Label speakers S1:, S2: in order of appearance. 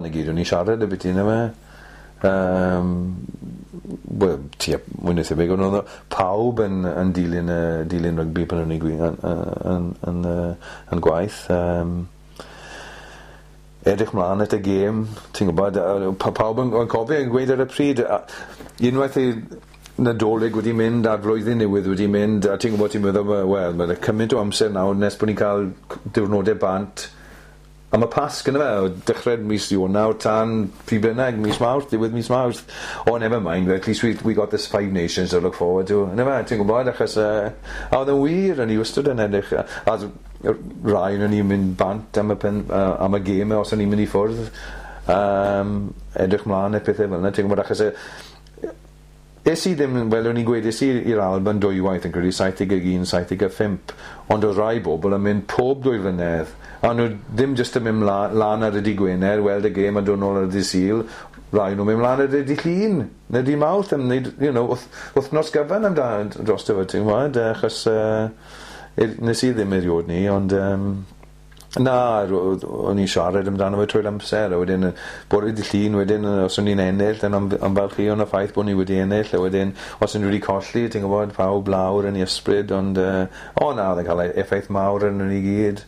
S1: 'Na gyd o'n i'n siarad ambyti on'd yfe? Wel tua mwy na thebyg on' o'dd y pawb yn dilyn y dilyn rygbi pan o'n i'n gwi- yn yy yn yn yy yn gwaith edrych mlan at y gêm ti'n gwbod pawb yn cofio yn gweud ar y pryd unwaith i Nadolig wedi mynd a'r flwyddyn newydd wedi mynd a ti'n gwbod ti'n meddwl wel ma' 'na cyment o amser nawr nes bo' ni'n ca'l diwrnode bant am y Pasg on'd yfe? O dechre mis Ionawr tan pryd bynnag mis Mawrth diwedd mis Mawrth. Oh never mind at least we got this five nations to look forward to on'd yfe? Ti'n gwbod achos a o'dd e'n wir o'n i wastod yn edrych a rai o'n ni'n mynd bant am y pen- am y geme os o'n i'n mynd i ffwrdd edrych mlan at pethe fel 'na ti'n gwbod achos es i ddim yn fel o'n i'n gweud es i i'r Alban dwywaith yn credu 71 75 ond o'dd rai bobol yn mynd pob 2 flynedd a o'n nw ddim jyst yn myn' lan ar y dy' Gwener weld y gêm a dod nôl ar y dy' Sul, rai o nw'n myn' mlan ar y dy' Llun ne' dy' Mawrth am neud wythnos gyfan drosto fe ti'n gwbod achos nes i ddim eriod 'ny ond na o'n i'n siarad amdano fe trwy'r amser a wedyn bore dy' Llun wedyn os o'n i'n ennill yn ymfalchio yn y ffaith bo' ni wedi ennill a wedyn os o'n ni wedi colli ti'n gwbod pawb lawr yn 'u ysbryd ond o na o'dd e'n ca'l effaith mawr arnon ni gyd.